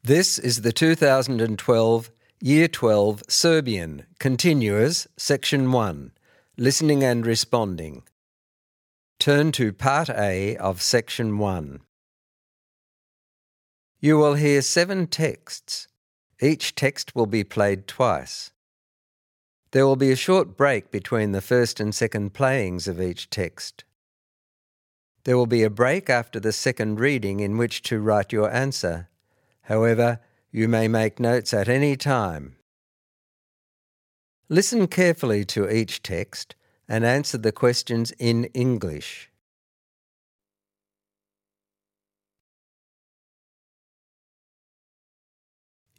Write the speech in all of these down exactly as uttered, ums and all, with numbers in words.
This is the two thousand twelve Year twelve Serbian Continuous Section one, Listening and Responding. Turn to Part A of Section one. You will hear seven texts. Each text will be played twice. There will be a short break between the first and second playings of each text. There will be a break after the second reading in which to write your answer. However, you may make notes at any time. Listen carefully to each text and answer the questions in English.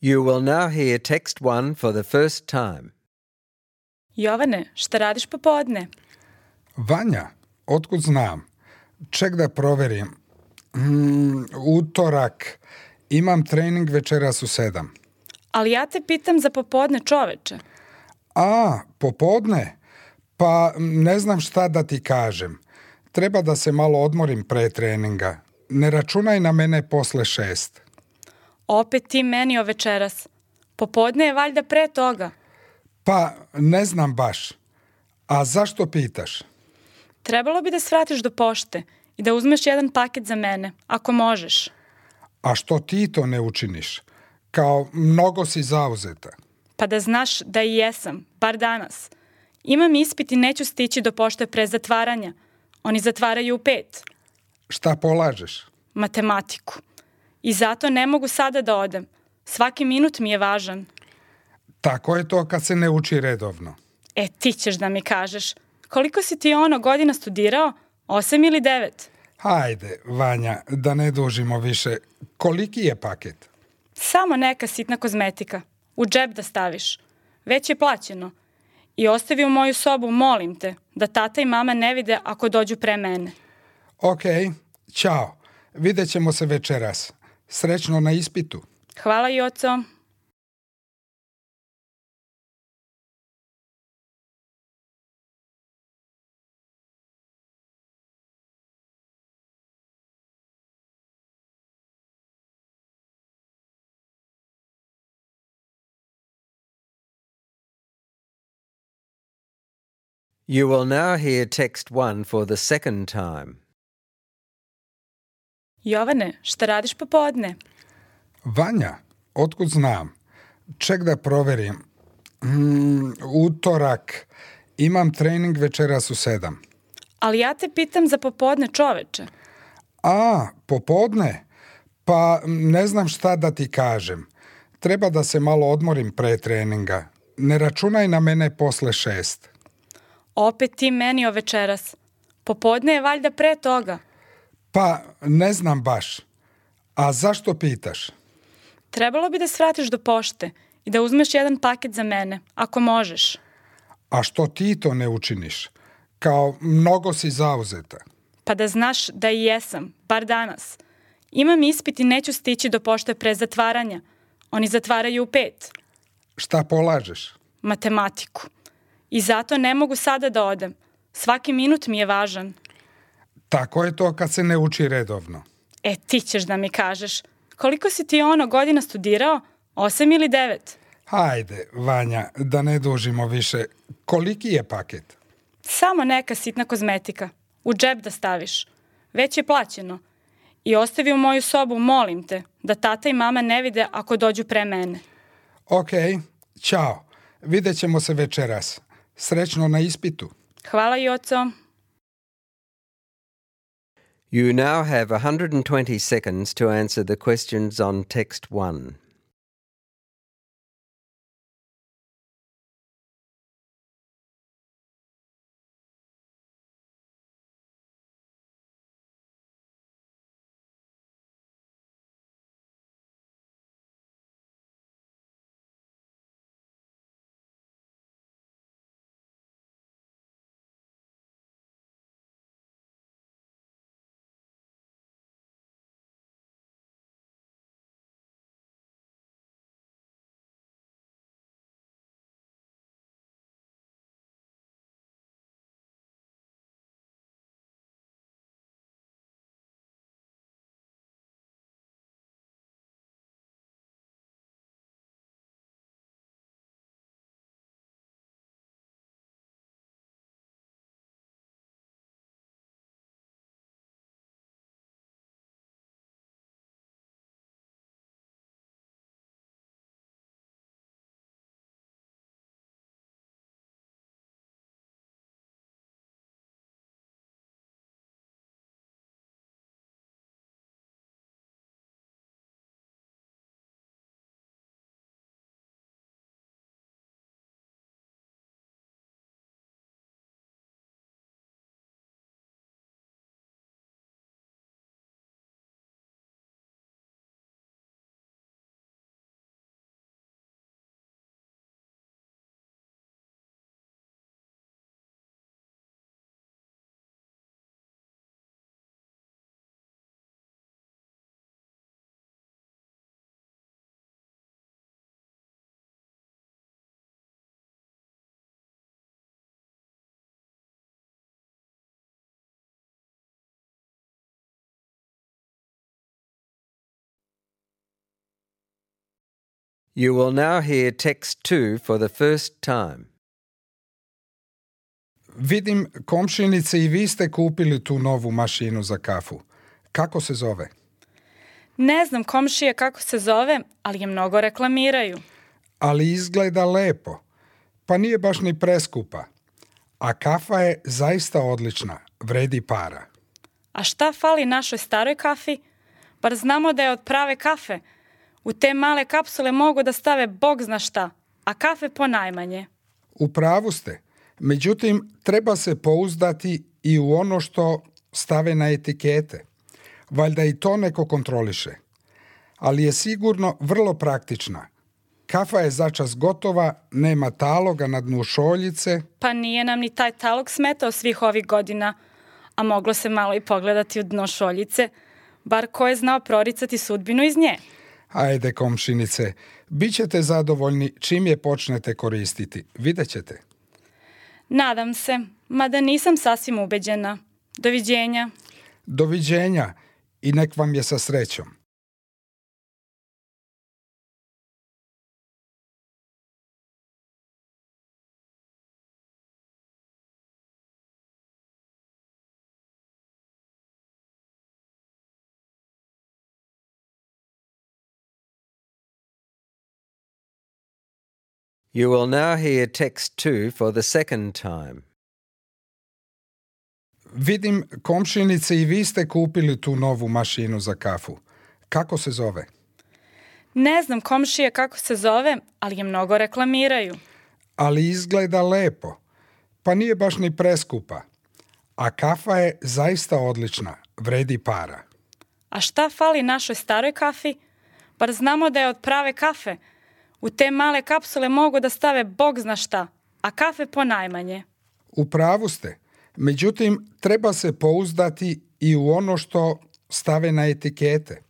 You will now hear text one for the first time. Jovane, šta radiš popodne? Vanja, otkud znam? Ček da proverim. Mm, utorak. Imam trening večeras u sedam. Ali ja te pitam za popodne, čoveče. A, popodne? Pa ne znam šta da ti kažem. Treba da se malo odmorim pre treninga. Ne računaj na mene posle šest. Opet ti meni o večeras. Popodne je valjda pre toga. Pa ne znam baš. A zašto pitaš? Trebalo bi da svratiš do pošte i da uzmeš jedan paket za mene, ako možeš. A što ti to ne učiniš? Kao mnogo si zauzeta. Pa da znaš da i jesam, bar danas. Imam ispit i neću stići do pošte pre zatvaranja. Oni zatvaraju u pet. Šta polažeš? Matematiku. I zato ne mogu sada da odem. Svaki minut mi je važan. Tako je to kad se ne uči redovno. E, ti ćeš da mi kažeš. Koliko si ti ono godina studirao? Osam ili devet? Hajde, Vanja, da ne dužimo više. Koliki je paket? Samo neka sitna kozmetika. U džep da staviš. Već je plaćeno. I ostavi u moju sobu, molim te, da tata i mama ne vide ako dođu pre mene. Ok, ćao. Vidjet ćemo se večeras. Srećno na ispitu. Hvala, Joco. You will now hear text one for the second time. Jovane, šta radiš popodne? Vanja, otkud znam? Ček da proverim. Mm, utorak. Imam trening večeras u sedam. Ali ja te pitam za popodne, čoveče. A, popodne? Pa ne znam šta da ti kažem. Treba da se malo odmorim pre treninga. Ne računaj na mene posle šest. Opet ti meni o večeras. Popodne je valjda pre toga. Pa ne znam baš. A zašto pitaš? Trebalo bi da svratiš do pošte i da uzmeš jedan paket za mene, ako možeš. A što ti to ne učiniš? Kao mnogo si zauzeta. Pa da znaš da i jesam, bar danas. Imam ispit i neću stići do pošte pre zatvaranja. Oni zatvaraju u pet. Šta polažeš? Matematiku. I zato ne mogu sada da odem. Svaki minut mi je važan. Tako je to kad se ne uči redovno. E, ti ćeš da mi kažeš. Koliko si ti ono godina studirao? Osam ili devet? Hajde, Vanja, da ne dužimo više. Koliki je paket? Samo neka sitna kozmetika. U džep da staviš. Već je plaćeno. I ostavi u moju sobu, molim te, da tata i mama ne vide ako dođu pre mene. Ok, ćao. Vidjet ćemo se večeras. Srećno na ispitu. Hvala, Joco. You now have one hundred twenty seconds to answer the questions on text one. You will now hear text two for the first time. Vidim, komšinice, i vi ste kupili tu novu mašinu za kafu. Kako se zove? Ne znam komšije kako se zove, ali je mnogo reklamiraju. Ali izgleda lepo. Pa nije baš ni preskupa. A kafa je zaista odlična, vredi para. A šta fali našoj staroj kafi? Bar znamo da je od prave kafe. U te male kapsule mogu da stave bog zna šta, a kafe ponajmanje. U pravu ste. Međutim, treba se pouzdati i u ono što stave na etikete. Valjda i to neko kontroliše. Ali je sigurno vrlo praktična. Kafa je začas gotova, nema taloga na dnu šoljice. Pa nije nam ni taj talog smetao svih ovih godina, a moglo se malo i pogledati u dno šoljice, bar ko je znao proricati sudbinu iz nje. Ajde, komšinice, bit ćete zadovoljni čim je počnete koristiti. Vidjet ćete. Nadam se, mada nisam sasvim ubeđena. Doviđenja. Doviđenja i nek vam je sa srećom. You will now hear text two for the second time. Vidim, komšinice, i vi ste kupili tu novu mašinu za kafu. Kako se zove? Ne znam komšije kako se zove, ali je mnogo reklamiraju. Ali izgleda lepo. Pa nije baš ni preskupa. A kafa je zaista odlična, vredi para. A šta fali našoj staroj kafi? Bar znamo da je od prave kafe. U te male kapsule mogu da stave bog zna šta, a kafe ponajmanje. U pravu ste. Međutim, treba se pouzdati i u ono što stave na etikete.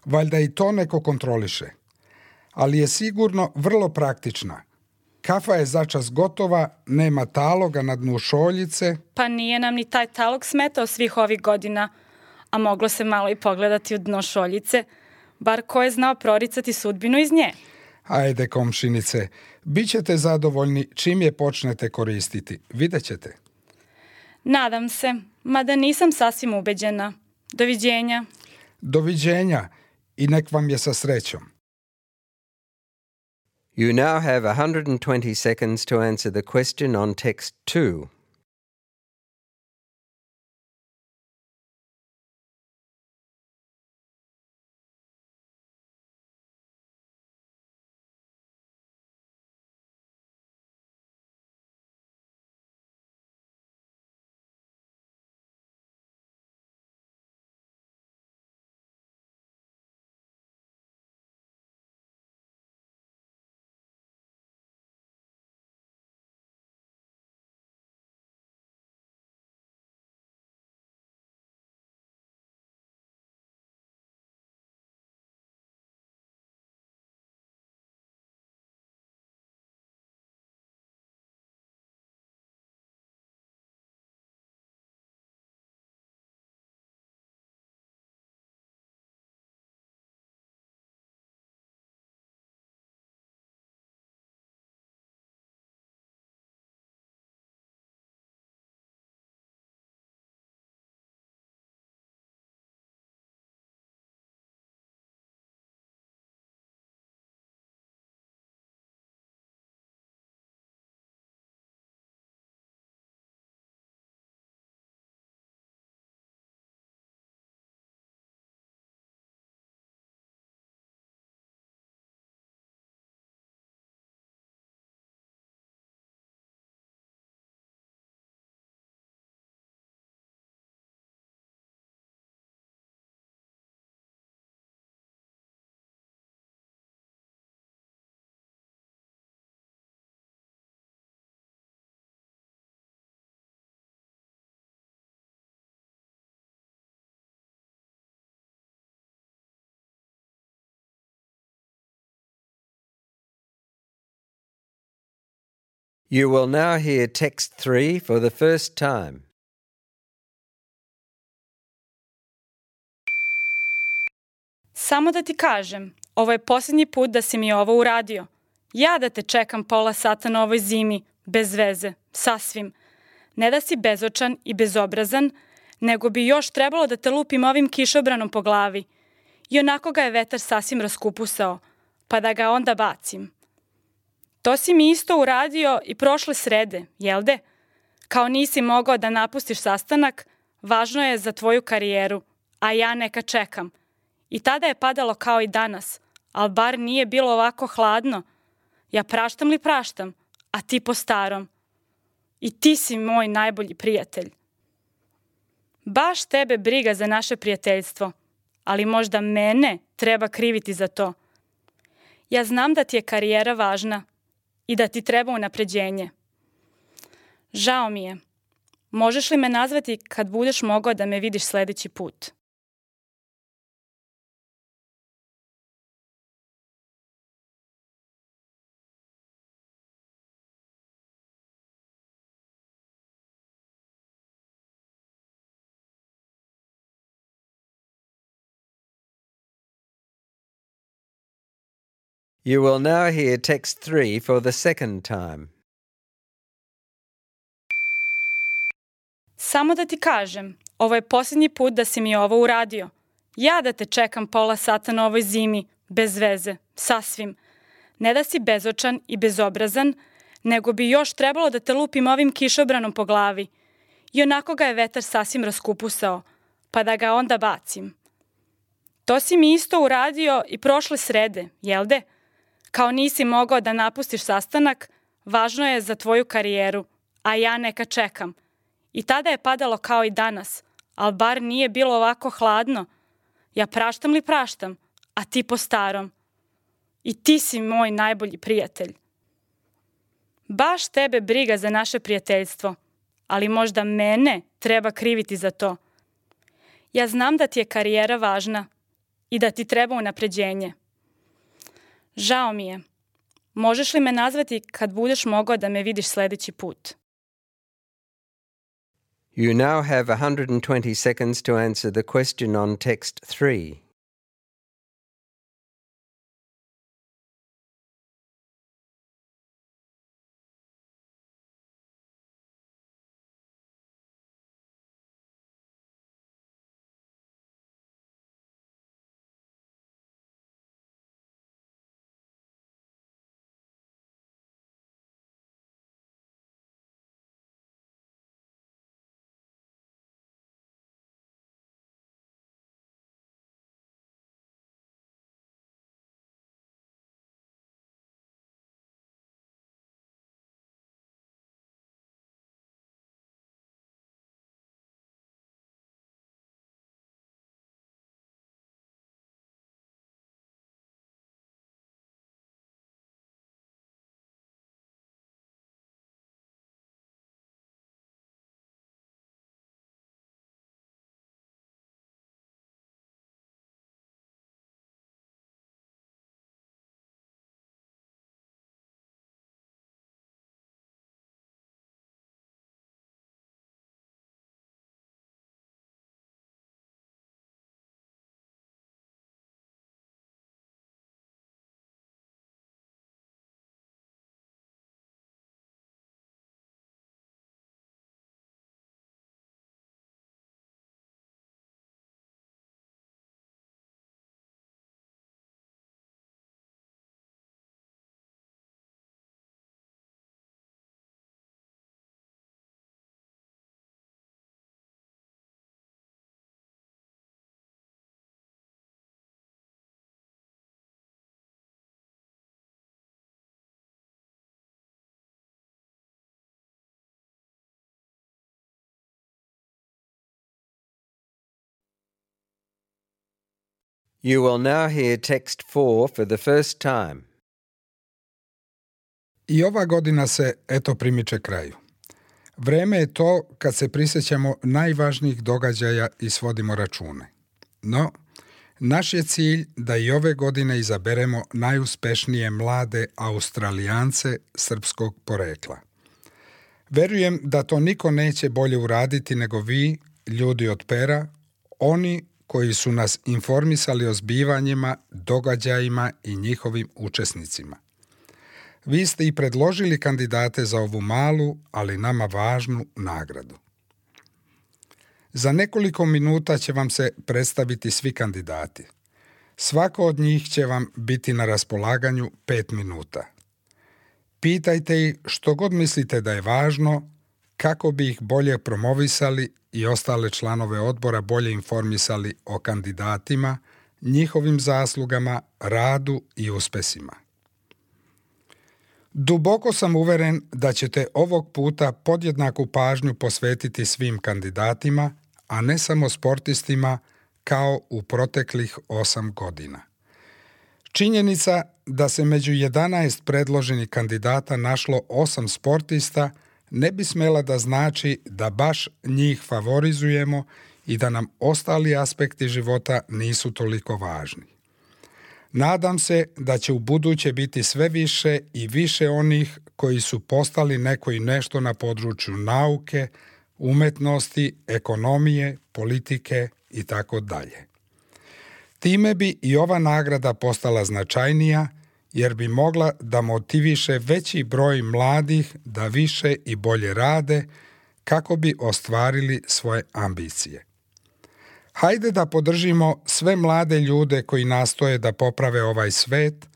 Valjda i to neko kontroliše. Ali je sigurno vrlo praktična. Kafa je začas gotova, nema taloga na dnu šoljice. Pa nije nam ni taj talog smetao svih ovih godina, a moglo se malo i pogledati u dno šoljice, bar ko je znao proricati sudbinu iz nje. Ajde, komšinice, bit ćete zadovoljni čim je počnete koristiti. Vidjet ćete. Nadam se, mada nisam sasvim ubeđena. Doviđenja. Doviđenja i nek vam je sa srećom. You now have one hundred twenty seconds to answer the question on text two. You will now hear text three for the first time. Samo da ti kažem, ovo je posljednji put da si mi ovo uradio. Ja da te čekam pola sata na ovoj zimi, bez veze, sasvim. Ne da si bezočan i bezobrazan, nego bi još trebalo da te lupim ovim kišobranom po glavi. I onako ga je vetar sasvim raskupusao, pa da ga onda bacim. To si mi isto uradio i prošle srede, jel de? Kao nisi mogao da napustiš sastanak, važno je za tvoju karijeru, a ja neka čekam. I tada je padalo kao i danas, ali bar nije bilo ovako hladno. Ja praštam li praštam, a ti po starom. I ti si moj najbolji prijatelj. Baš tebe briga za naše prijateljstvo, ali možda mene treba kriviti za to. Ja znam da ti je karijera važna i da ti treba unapređenje. Žao mi je. Možeš li me nazvati kad budeš mogao da me vidiš sljedeći put? You will now hear text three for the second time. Samo da ti kažem, ovo je posljednji put da si mi ovo uradio. Ja da te čekam pola sata na ovoj zimi, bez veze, sasvim. Ne da si bezočan i bezobrazan, nego bi još trebalo da te lupim ovim kišobranom po glavi. I onako ga je vetar sasvim raskupusao, pa da ga onda bacim. To si mi isto uradio i prošle srede, jel de? Kao nisi mogao da napustiš sastanak, važno je za tvoju karijeru, a ja neka čekam. I tada je padalo kao i danas, ali bar nije bilo ovako hladno. Ja praštam li praštam, a ti po starom. I ti si moj najbolji prijatelj. Baš tebe briga za naše prijateljstvo, ali možda mene treba kriviti za to. Ja znam da ti je karijera važna i da ti treba unapređenje. Žao mi je. Možeš li me nazvati kad budeš mogao da me vidiš sljedeći put? You now have one hundred twenty seconds to answer the question on text three. You will now hear text four for the first time. I ova godina se, eto, primiče kraju. Vreme je to kad se prisjećamo najvažnijih događaja i svodimo račune. No, naš je cilj da i ove godine izaberemo najuspešnije mlade Australijance srpskog porekla. Verujem da to niko neće bolje uraditi nego vi, ljudi od pera, oni koji su nas informisali o zbivanjima, događajima i njihovim učesnicima. Vi ste i predložili kandidate za ovu malu, ali nama važnu nagradu. Za nekoliko minuta će vam se predstaviti svi kandidati. Svako od njih će vam biti na raspolaganju pet minuta. Pitajte ih što god mislite da je važno, kako bi ih bolje promovisali i ostale članove odbora bolje informisali o kandidatima, njihovim zaslugama, radu i uspesima. Duboko sam uveren da ćete ovog puta podjednaku pažnju posvetiti svim kandidatima, a ne samo sportistima kao u proteklih osam godina. Činjenica da se među jedanaest predloženih kandidata našlo osam sportista ne bi smela da znači da baš njih favorizujemo i da nam ostali aspekti života nisu toliko važni. Nadam se da će u buduće biti sve više i više onih koji su postali neko i nešto na području nauke, umetnosti, ekonomije, politike i tako dalje. Time bi i ova nagrada postala značajnija, jer bi mogla da motiviše veći broj mladih da više i bolje rade kako bi ostvarili svoje ambicije. Hajde da podržimo sve mlade ljude koji nastoje da poprave ovaj svet,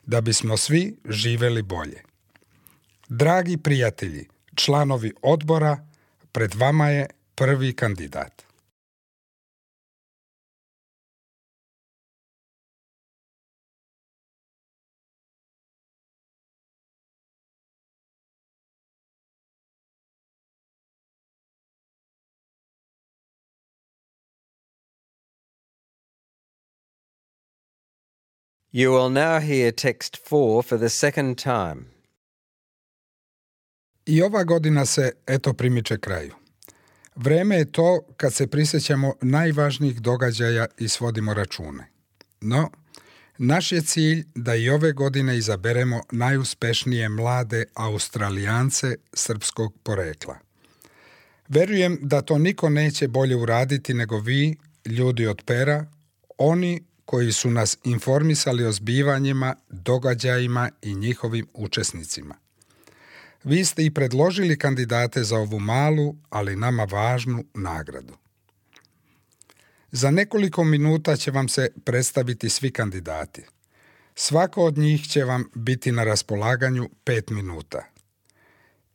da bismo svi živeli bolje. Dragi prijatelji, članovi odbora, pred vama je prvi kandidat. You will now hear text four for the second time. I ova godina se eto primiče kraju. Vreme je to kad se prisjećamo najvažnijih događaja i svodimo račune. No, naš je cilj da i ove godine izaberemo najuspešnije mlade Australijance srpskog porekla. Verujem da to niko neće bolje uraditi nego vi, ljudi od pera, oni koji su nas informisali o zbivanjima, događajima i njihovim učesnicima. Vi ste i predložili kandidate za ovu malu, ali nama važnu nagradu. Za nekoliko minuta će vam se predstaviti svi kandidati. Svako od njih će vam biti na raspolaganju pet minuta.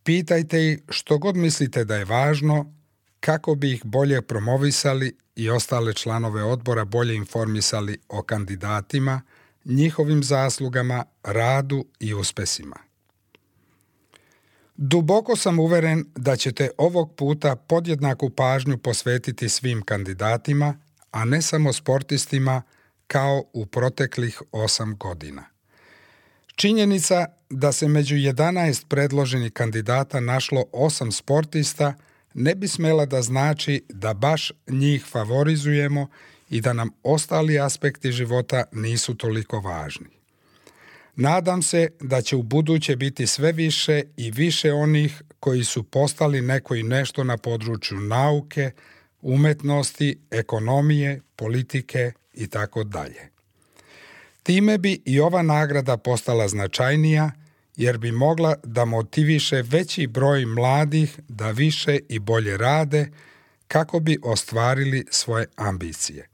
Pitajte ih što god mislite da je važno, kako bi ih bolje promovisali i ostale članove odbora bolje informisali o kandidatima, njihovim zaslugama, radu i uspesima. Duboko sam uveren da ćete ovog puta podjednaku pažnju posvetiti svim kandidatima, a ne samo sportistima kao u proteklih osam godina. Činjenica da se među jedanaest predloženih kandidata našlo osam sportista ne bi smela da znači da baš njih favorizujemo i da nam ostali aspekti života nisu toliko važni. Nadam se da će u buduće biti sve više i više onih koji su postali neko i nešto na području nauke, umetnosti, ekonomije, politike i tako dalje. Time bi i ova nagrada postala značajnija, jer bi mogla da motiviše veći broj mladih da više i bolje rade kako bi ostvarili svoje ambicije.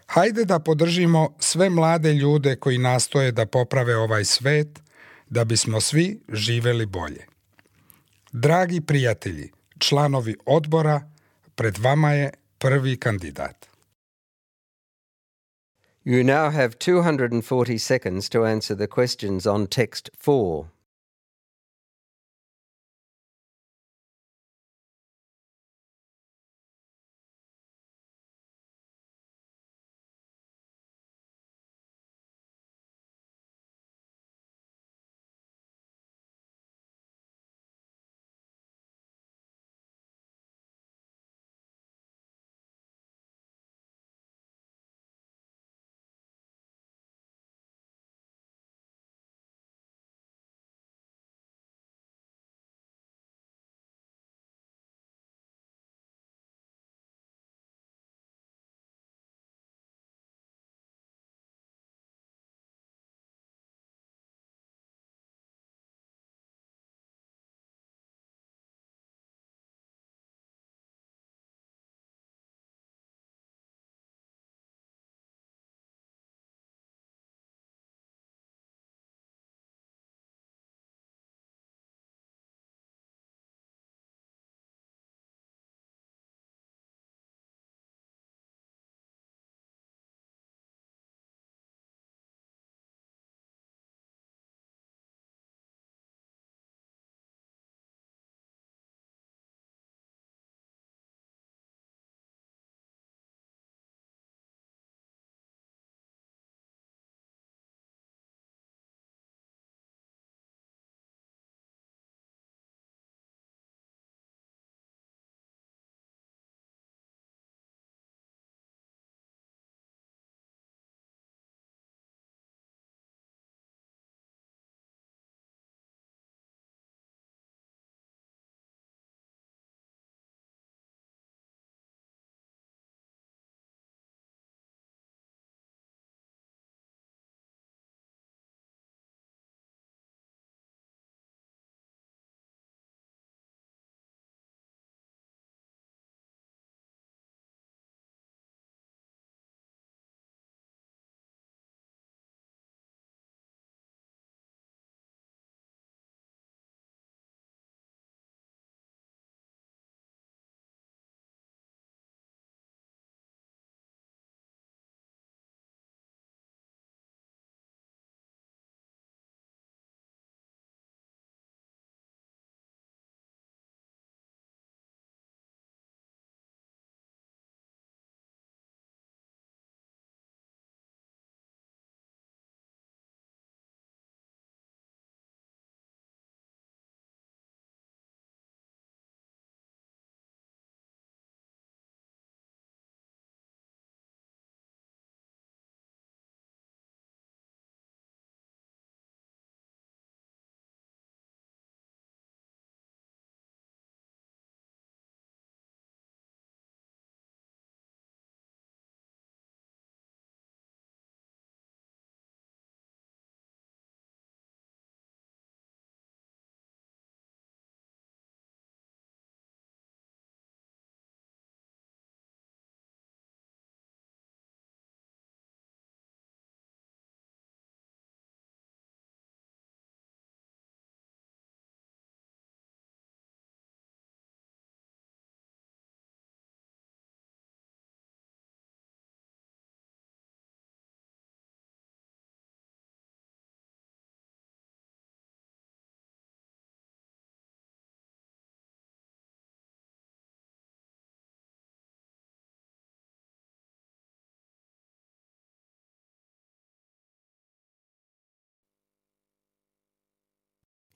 Hajde da podržimo sve mlade ljude koji nastoje da poprave ovaj svet, da bismo svi živeli bolje. Dragi prijatelji, članovi odbora, pred vama je prvi kandidat. You now have two hundred forty seconds to answer the questions on text four.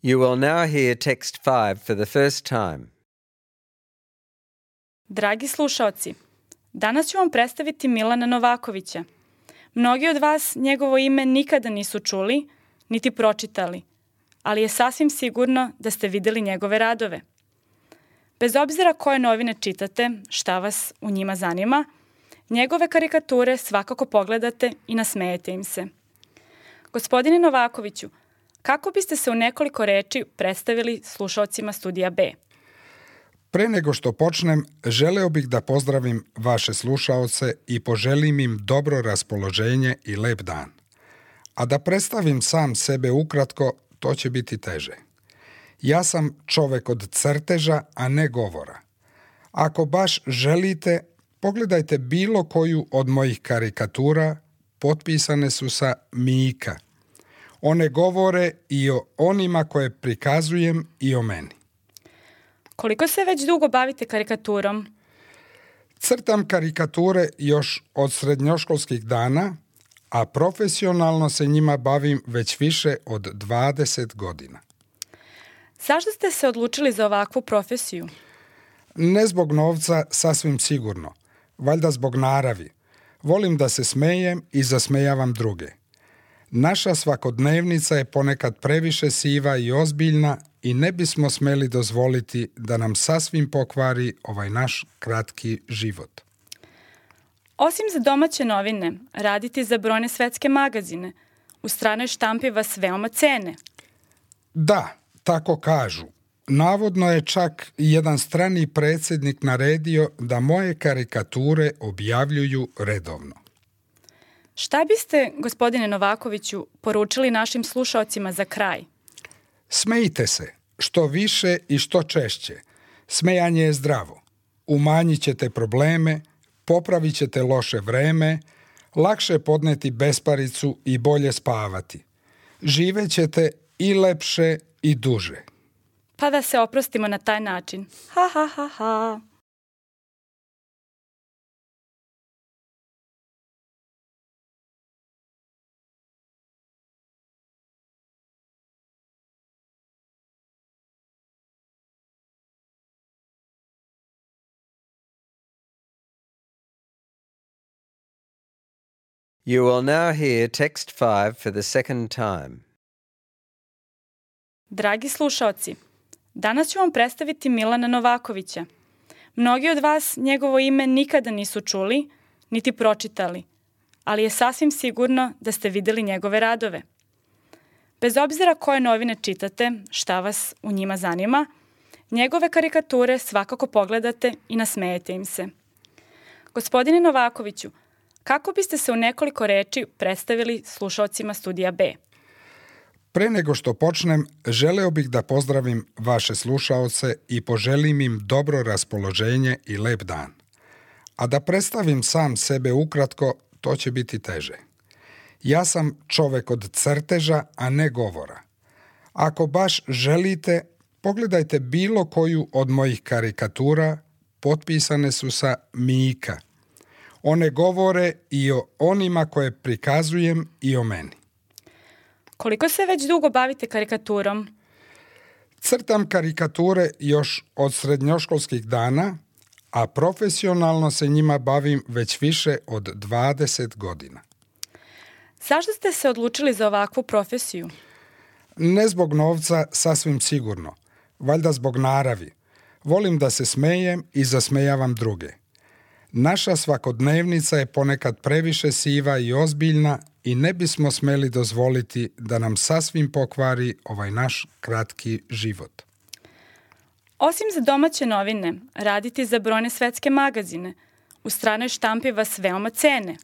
You will now hear text five for the first time. Dragi slušaoci, danas ću vam predstaviti Milana Novakovića. Mnogi od vas njegovo ime nikada nisu čuli, niti pročitali, ali je sasvim sigurno da ste videli njegove radove. Bez obzira koje novine čitate, šta vas u njima zanima, njegove karikature svakako pogledate i nasmejete im se. Gospodine Novakoviću, kako biste se u nekoliko reči predstavili slušaocima Studija B? Pre nego što počnem, želeo bih da pozdravim vaše slušaoce i poželim im dobro raspoloženje i lep dan. A da predstavim sam sebe ukratko, to će biti teže. Ja sam čovek od crteža, a ne govora. Ako baš želite, pogledajte bilo koju od mojih karikatura, potpisane su sa Mika. One govore i o onima koje prikazujem i o meni. Koliko se već dugo bavite karikaturom? Crtam karikature još od srednjoškolskih dana, a profesionalno se njima bavim već više od dvadeset godina. Zašto ste se odlučili za ovakvu profesiju? Ne zbog novca, sasvim sigurno. Valjda zbog naravi. Volim da se smejem i zasmejavam druge. Naša svakodnevnica je ponekad previše siva i ozbiljna i ne bismo smeli dozvoliti da nam sasvim pokvari ovaj naš kratki život. Osim za domaće novine, raditi za brojne svetske magazine. U stranoj štampi vas veoma cene. Da, tako kažu. Navodno je čak jedan strani predsjednik naredio da moje karikature objavljuju redovno. Šta biste, gospodine Novakoviću, poručili našim slušaocima za kraj? Smejte se, što više i što češće. Smejanje je zdravo. Umanjit ćete probleme, popravit ćete loše vreme, lakše podneti besparicu i bolje spavati. Živećete i lepše i duže. Pa da se oprostimo na taj način. Ha, ha, ha, ha. You will now hear text five for the second time. Dragi slušaoci, danas ću vam predstaviti Milana Novakovića. Mnogi od vas njegovo ime nikada nisu čuli, niti pročitali, ali je sasvim sigurno da ste videli njegove radove. Bez obzira koje novine čitate, šta vas u njima zanima, njegove karikature svakako pogledate i nasmejete im se. Gospodine Novakoviću, kako biste se u nekoliko reči predstavili slušaocima Studija B? Pre nego što počnem, želeo bih da pozdravim vaše slušaoce i poželim im dobro raspoloženje i lep dan. A da predstavim sam sebe ukratko, to će biti teže. Ja sam čovek od crteža, a ne govora. Ako baš želite, pogledajte bilo koju od mojih karikatura, potpisane su sa Mika. One govore i o onima koje prikazujem i o meni. Koliko se već dugo bavite karikaturom? Crtam karikature još od srednjoškolskih dana, a profesionalno se njima bavim već više od dvadeset godina. Zašto ste se odlučili za ovakvu profesiju? Ne zbog novca, sasvim sigurno. Valjda zbog naravi. Volim da se smejem i zasmejavam druge. Naša svakodnevnica je ponekad previše siva i ozbiljna i ne bismo smeli dozvoliti da nam sasvim pokvari ovaj naš kratki život. Osim za domaće novine, raditi za brojne svetske magazine. U stranoj štampi vas veoma cene.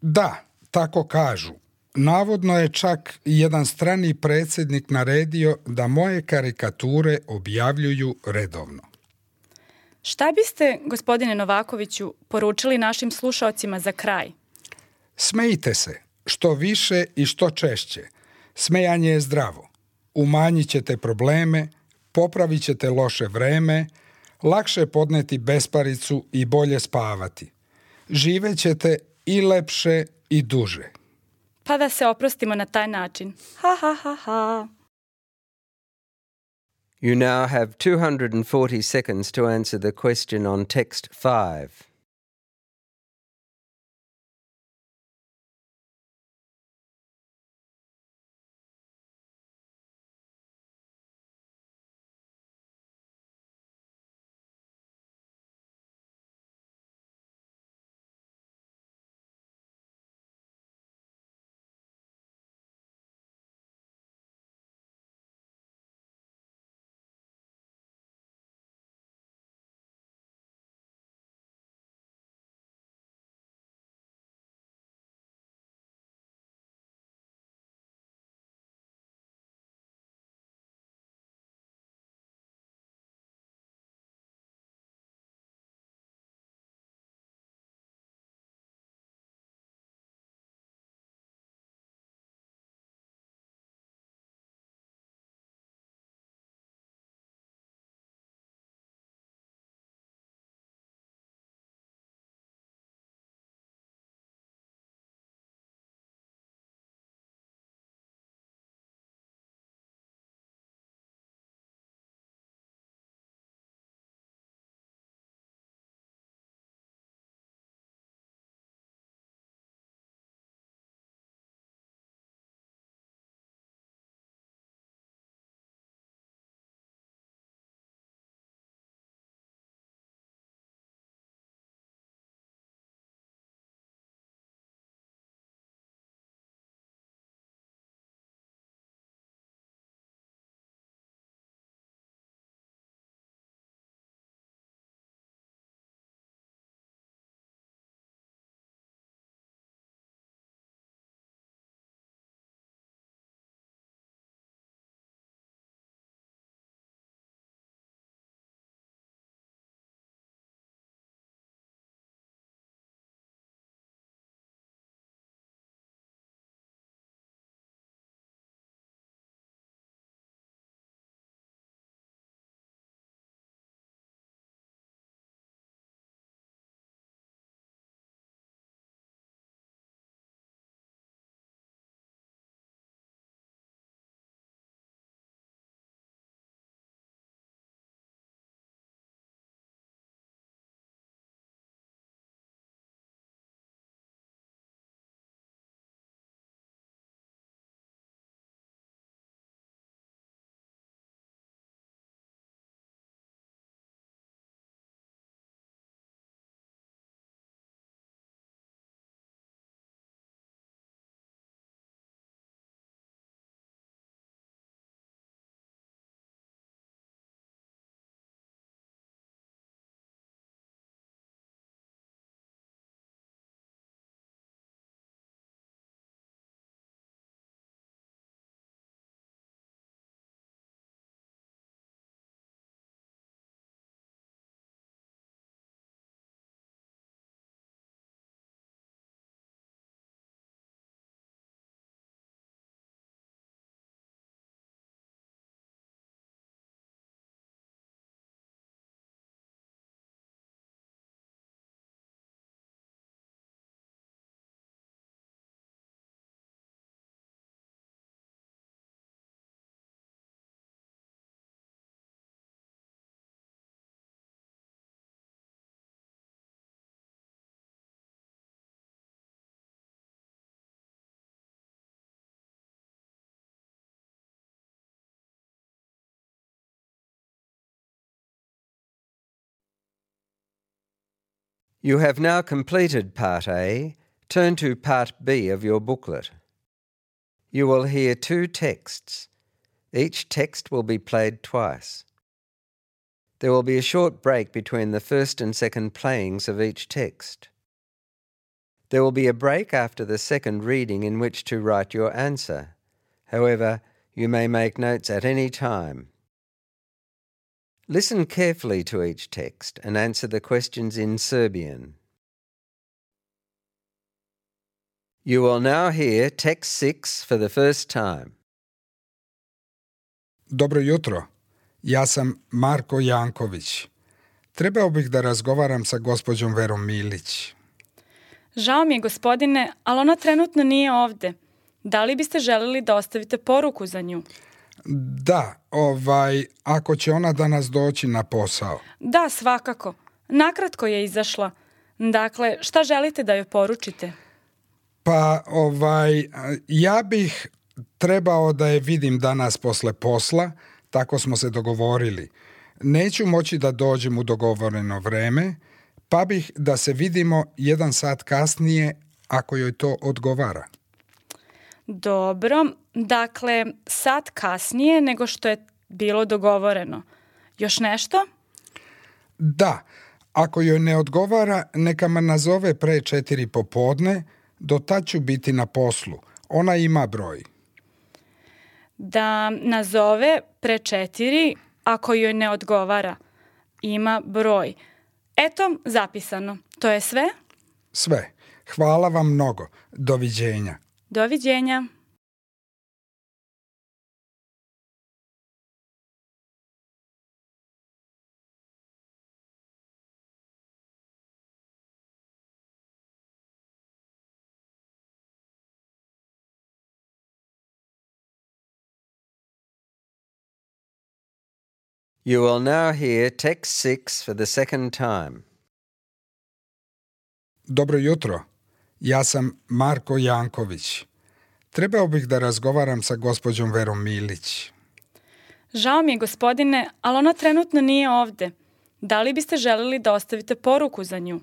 Da, tako kažu. Navodno je čak jedan strani predsjednik naredio da moje karikature objavljuju redovno. Šta biste, gospodine Novakoviću, poručili našim slušaocima za kraj? Smejte se, što više i što češće. Smejanje je zdravo. Umanjit ćete probleme, popravit ćete loše vreme, lakše podneti besparicu i bolje spavati. Živećete i lepše i duže. Pa da se oprostimo na taj način. Ha, ha, ha, ha. You now have two hundred forty seconds to answer the question on text five. You have now completed Part A. Turn to Part B of your booklet. You will hear two texts. Each text will be played twice. There will be a short break between the first and second playings of each text. There will be a break after the second reading in which to write your answer. However, you may make notes at any time. Listen carefully to each text and answer the questions in Serbian. You will now hear text six for the first time. Dobro jutro. Ja sam Marko Janković. Trebao bih da razgovaram sa gospođom Verom Milić. Žao mi je, gospodine, ali ona trenutno nije ovde. Da li biste želeli da ostavite poruku za nju? Da, ovaj, ako će ona danas doći na posao. Da, svakako. Nakratko je izašla. Dakle, šta želite da joj poručite? Pa, ovaj, ja bih trebao da je vidim danas posle posla, tako smo se dogovorili. Neću moći da dođem u dogovoreno vreme, pa bih da se vidimo jedan sat kasnije ako joj to odgovara. Dobro, dakle, sat kasnije nego što je bilo dogovoreno. Još nešto? Da, ako joj ne odgovara, neka me nazove pre četiri popodne, do tad ću biti na poslu. Ona ima broj. Da nazove pre četiri ako joj ne odgovara. Ima broj. Eto, zapisano. To je sve? Sve. Hvala vam mnogo. Doviđenja. Doviđenja. You will now hear text six for the second time. Dobro jutro. Ja sam Marko Janković. Trebao bih da razgovaram sa gospođom Verom Milić. Žao mi je, gospodine, ali ona trenutno nije ovde. Da li biste želeli da ostavite poruku za nju?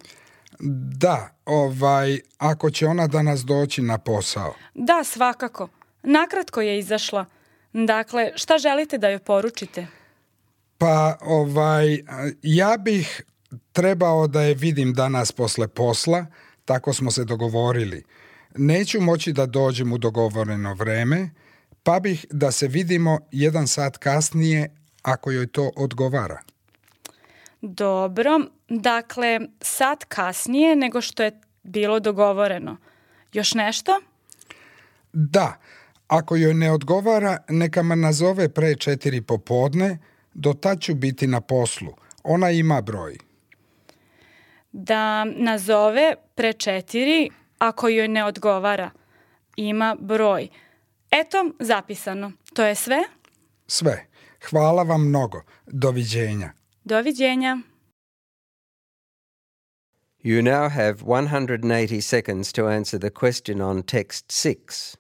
Da, ovaj, ako će ona danas doći na posao. Da, svakako. Nakratko je izašla. Dakle, šta želite da joj poručite? Pa, ovaj, ja bih trebao da je vidim danas posle posla, tako smo se dogovorili. Neću moći da dođem u dogovoreno vreme, pa bih da se vidimo jedan sat kasnije ako joj to odgovara. Dobro, dakle, sat kasnije nego što je bilo dogovoreno. Još nešto? Da, ako joj ne odgovara, neka me nazove pre četiri popodne, do tad ću biti na poslu. Ona ima broj. Da nazove pre četiri ako joj ne odgovara. Ima broj. Eto, zapisano. To je sve? Sve. Hvala vam mnogo. Doviđenja. Doviđenja. You now have one hundred eighty seconds to answer the question on text six.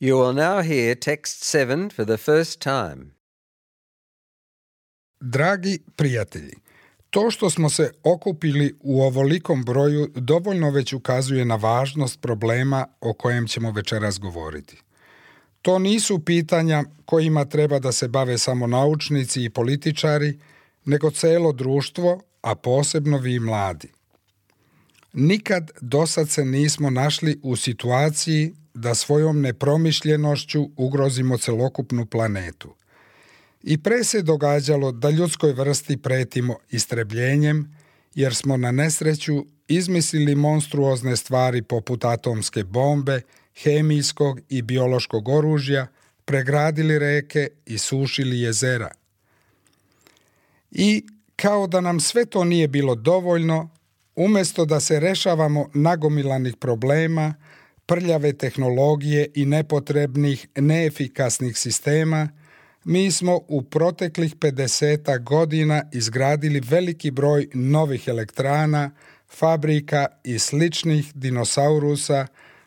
You will now hear text seven for the first time. Dragi prijatelji, to što smo se okupili u ovolikom broju dovoljno već ukazuje na važnost problema o kojem ćemo večeras govoriti. To nisu pitanja kojima treba da se bave samo naučnici i političari, nego celo društvo, a posebno vi mladi. Nikad dosad se nismo našli u situaciji da svojom nepromišljenošću ugrozimo celokupnu planetu. I pre se događalo da ljudskoj vrsti pretimo istrebljenjem, jer smo na nesreću izmislili monstruozne stvari poput atomske bombe, hemijskog i biološkog oružja, pregradili reke i sušili jezera. I kao da nam sve to nije bilo dovoljno, umesto da se rešavamo nagomilanih problema, prljave tehnologije i nepotrebnih, neefikasnih sistema, mi smo u proteklih pedesetak godina izgradili veliki broj novih elektrana, fabrika i sličnih dinosaurusa,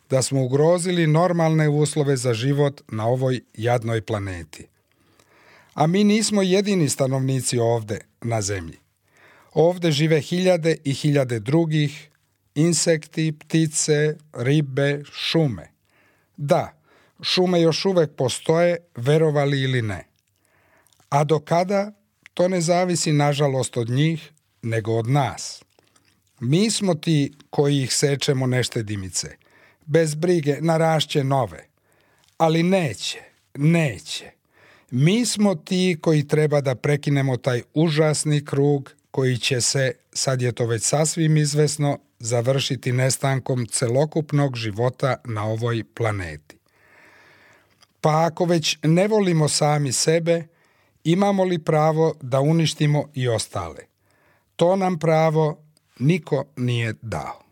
da smo ugrozili normalne uslove za život na ovoj jadnoj planeti. A mi nismo jedini stanovnici ovde, na zemlji. Ovde žive hiljade i hiljade drugih, insekti, ptice, ribe, šume. Da, šume još uvek postoje, verovali ili ne. A do kada, to ne zavisi nažalost od njih, nego od nas. Mi smo ti koji ih sečemo neštedimice. Bez brige narašće nove. Ali neće, neće. Mi smo ti koji treba da prekinemo taj užasni krug koji će se, sad je to već sasvim izvesno, završiti nestankom celokupnog života na ovoj planeti. Pa ako već ne volimo sami sebe, imamo li pravo da uništimo i ostale? To nam pravo niko nije dao.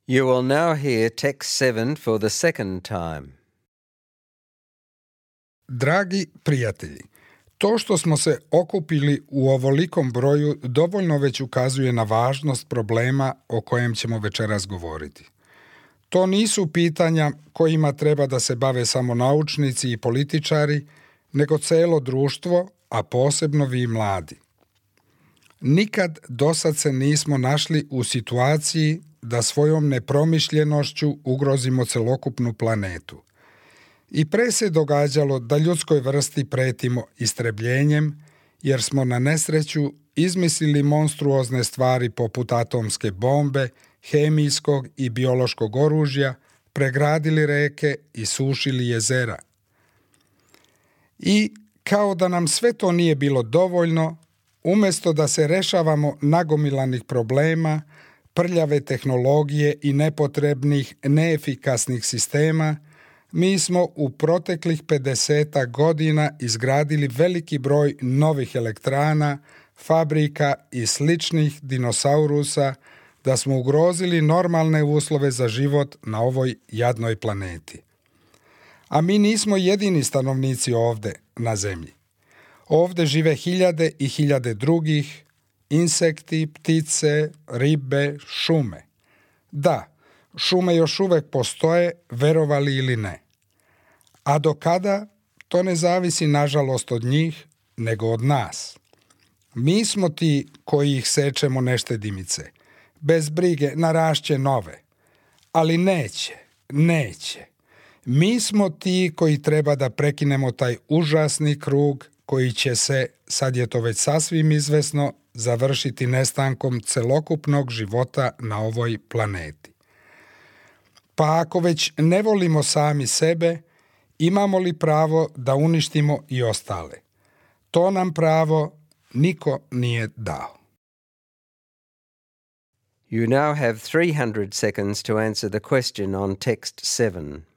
You will now hear text seven for the second time. Dragi prijatelji, to što smo se okupili u ovolikom broju dovoljno već ukazuje na važnost problema o kojem ćemo večeras govoriti. To nisu pitanja kojima treba da se bave samo naučnici i političari, nego celo društvo, a posebno vi mladi. Nikad dosad se nismo našli u situaciji da svojom nepromišljenošću ugrozimo celokupnu planetu. I pre se događalo da ljudskoj vrsti pretimo istrebljenjem, jer smo na nesreću izmislili monstruozne stvari poput atomske bombe, hemijskog i biološkog oružja, pregradili reke i sušili jezera. I kao da nam sve to nije bilo dovoljno, umesto da se rešavamo nagomilanih problema, prljave tehnologije i nepotrebnih, neefikasnih sistema, mi smo u proteklih pedesetak godina izgradili veliki broj novih elektrana, fabrika i sličnih dinosaurusa, da smo ugrozili normalne uslove za život na ovoj jadnoj planeti. A mi nismo jedini stanovnici ovde, na zemlji. Ovde žive hiljade i hiljade drugih, insekti, ptice, ribe, šume. Da, šume još uvek postoje, verovali ili ne. A do kada, to ne zavisi nažalost od njih, nego od nas. Mi smo ti koji ih sečemo neštedimice. Bez brige narašće nove. Ali neće, neće. Mi smo ti koji treba da prekinemo taj užasni krug koji će se, sad je to već sasvim izvesno, završiti nestankom celokupnog života na ovoj planeti. Pa ako već ne volimo sami sebe, imamo li pravo da uništimo i ostale? To nam pravo niko nije dao. You now have three hundred seconds to answer the question on text seven.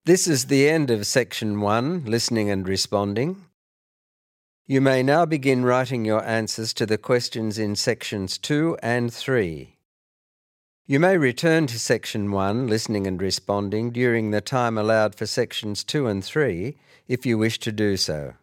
This is the end of Section one, Listening and Responding. You may now begin writing your answers to the questions in Sections two and three. You may return to Section one, Listening and Responding, during the time allowed for Sections two and three, if you wish to do so.